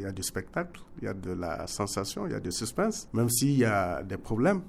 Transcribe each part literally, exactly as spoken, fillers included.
Il y a du spectacle, il y a de la sensation, il y a du suspense, même s'il y a des problèmes.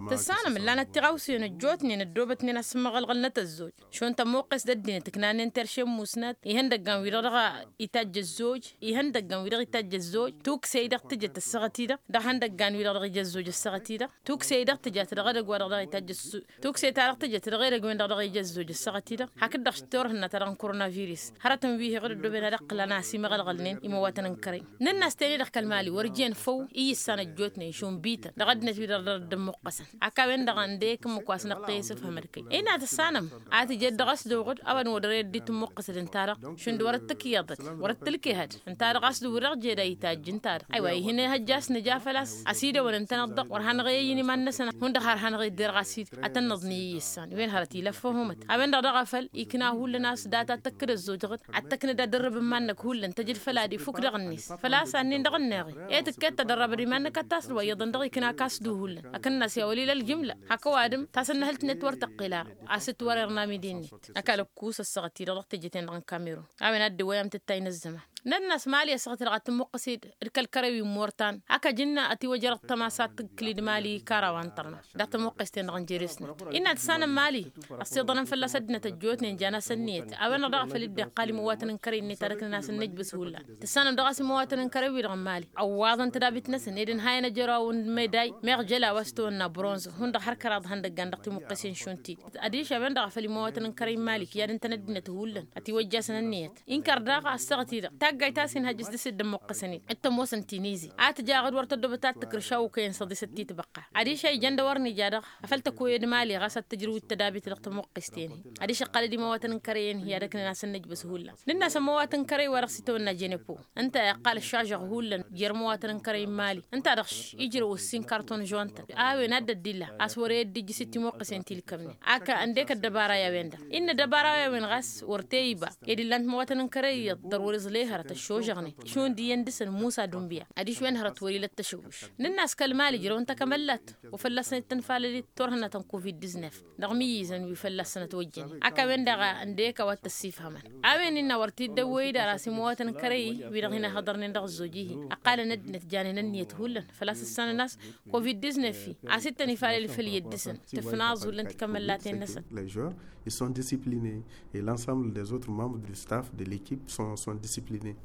Tăssanăm ǝllanăt tiɣawsen ăjjootnen ăddoobătnen asǝmmăɣălɣălnăt ăzzoj. Šund tămmuqqes d-ăddinăt ǝknanen terše n-musnat ihăndăggan wi-dăɣ dăɣ-itajj ăzzoj. Ihăndăggan wi-dăɣ itajj ăzzoj tukse-i dăɣ-tǝjăt ăssaɣăt-i-dăɣ. Dăɣ-ihăndăggan wi-dăɣ dăɣ-ija ăzzoj ăssaɣăt-i-dăɣ tukse-i dăɣ-tǝjat dăɣ-edăgg wa dăɣ-dăɣ itajj ăssu. Tukse-ta-dăɣ tǝjăt dăɣ-edăgg-wen-dăɣ dăɣ-ija ăzzoj ăssaɣăt-i-dăɣ hakd-dăɣ s-turhǝnna ta dăɣ-n koronavirus. Hărătăn wi hi-iɣǝd ăddooben ad-ăqqǝlăn a-s imăɣălɣălnen imăwatăn n-kărăy. Nǝnn'-as ten-i-dăɣ kăl-mali wăr jen făw iyyǝssan ăjjootnen šund bităn dăɣ-ăddinăt wi-dăɣ dăr-dd-ǝmmuqqăsăn. Hak a-wen-dăɣ ăndek ǝmmǝk wa s-năqqăy isǝfhăm d-kăy-i n-ad-tăssanăm a tǝjed dăɣ-s d-oɣǝd a-wa n-wădăr i-dd-itǝmmuqqăsăd ǝnta-dăɣ šund wăr-dd tǝkǝyăḍăd wăr-dd tǝlkehăd. Ǝnta-dăɣ a-s d-wăr-dăɣ jed a itajj ǝnta-dăɣ aywa ihǝnehăjja a-s nǝja făl-a-s ăsidăwăn ǝntăneḍ-dăɣ wăr hanăɣ-e-ăyyǝn iman-năsăn hundăɣ har hanăɣ-e-dd erɣ a-s-dd ad-tăn-nǝḍnǝy iyyǝssan wen hărăt ila făhumăt. A-wen-dăɣ daɣ a făl ikna hullan a-s data ad-tăkkǝd ăzzoj dăɣ-dd ad-tăknăd ad-dd-ărrǝb n-iman-năk hullan tăjǝd făl ad-ifuk dăɣ-net făl-a-s annen dăɣ-ănneɣ-i. E tǝkket tădărrăbăd iman-năk ad-tasǝd wa iyyăḍăn dăɣ-ikna ăkasǝd uhullan ăkǝnnas i-awăl ila ăljǝmla. Hak ăwadǝm tasănnăhǝlt-net wăr tăqqel ara a-s dd-wăr-irna midi-net. Ăkall ăkkus ăssaɣăt-i-dăɣ dăɣ-tejăten-dăɣ n-kamerun. A-wen ad-dd-iwăyăm tǝttay n-ăzzăman. Nănn'-as mali ăssaɣăt-i-dăɣ ad-tǝmmuqqǝs-dd d-kăl-kărăy wi n-mortan. Ak ăjǝnna ătiwăjrăɣ tămasat tǝggǝl-dd mali karawa n-tărna dăɣ-tămmuqqes-ten-dăɣ n-jeres-net. Innă tǝssanăm mali ăssiḍănăn fălla-s ăddinăt ăjjootnen jan-as ănniyăt. A-wen-dăɣ daɣ a făl dd-iqqal imăwatăn n-kărăy-net ad-ăknăn a-s ănnăjbǝs hullan. Tǝssanăm dăɣ-a-s imăwatăn n-kărăy-wi-dăɣ n-mali ăwwaḍăn tădabit-năsăn ed ǝnhayăn ăjăraw n-meday meɣ jăla wa s-tawănna bronz hundăɣ har kăraḍ ihăndăggan dăɣ-timuqqesen šund-t-dd. Ădiš a-wen-dăɣ a făl imăwatăn n-kărăy n-mali kǝyadăn-tăn ăddinăt hullan ătiwăjjasăn ănniyăt. Inkăr daɣ ăssaɣăt-i-dăɣ taggayt a-s inhăjj s-dăɣ-s dd-ămmuqqăsăn-dd. Dd-tămoosăn tinizi a tǝjaɣ d-wăr tăddoobăt ad-tǝkrǝš a okăyăn săḍisăt ti tibăqqa. Adiš a ijăn d-a-wăr nǝja dăɣ-afăl tăkoyăd mali ɣas ad-tǝjrǝw d-tădabit dăɣ-tămuqqes-ten-hi. Adiš ăqqăl-dd imăwatăn n-kărăy-en hi-ad-ăknăn a-s ănnăjbăs hullan. Nǝnn'-as ămăwatăn n-kărăy wa dăɣ-s itawănna jenepo ǝnta iqqal ăššažăɣ hullan jer-imăwatăn n-kărăy n-mali. Ǝnta-dăɣ š-ijrăw ǝssin karton žon-tăn a-wen ad-dd-illa a-s wăr-e dd-ijjǝs d-timuqqǝsen ti ǝlkămnen. Ak ăndek ăddăbara i-a-wen-dăɣ innă ăddăbara i-a-wen ɣas wăr te iba ed illan timăwatăn n-kărăy iyyăḍ dăr-wăr-iẓley hărăt ăššožăɣnen šund iyyăn dăɣ-săn musa dunbiya. Adiš wen hărăt wăr-ila t-tăšăwwǝš. Nǝnn'-as kăl-mali ǝjrăwăn takămăllat wa fălla-săn ittǝnfalăl-i turhǝnna ta n-covid-diznef. Dăɣ-imǝyyǝzăn wi fălla-săn ătwăjjănen ak a-wen-dăɣ ăndek a-wa t-ăssifhămăn. A-wen innă wăr t-dd-ăwwăy-dd ara s-imăwatăn n-kărăy-i wi-dăɣ hin-ăhhăḍărnen dăɣ-ăzzoj-i-hi. Ăqqalăn ăddinăt janen ănniyăt hullan făl-a-s ǝssanăn a-s covid-diznef-i a-s ittăn ifalăl făll-iyyăt dăɣ-săn tǝfnaẓ hullan tikămăllaten-năsăn. Les joueurs ils sont disciplinés et l'ensemble des autres membres du staff de l'équipe sont sont disciplinés.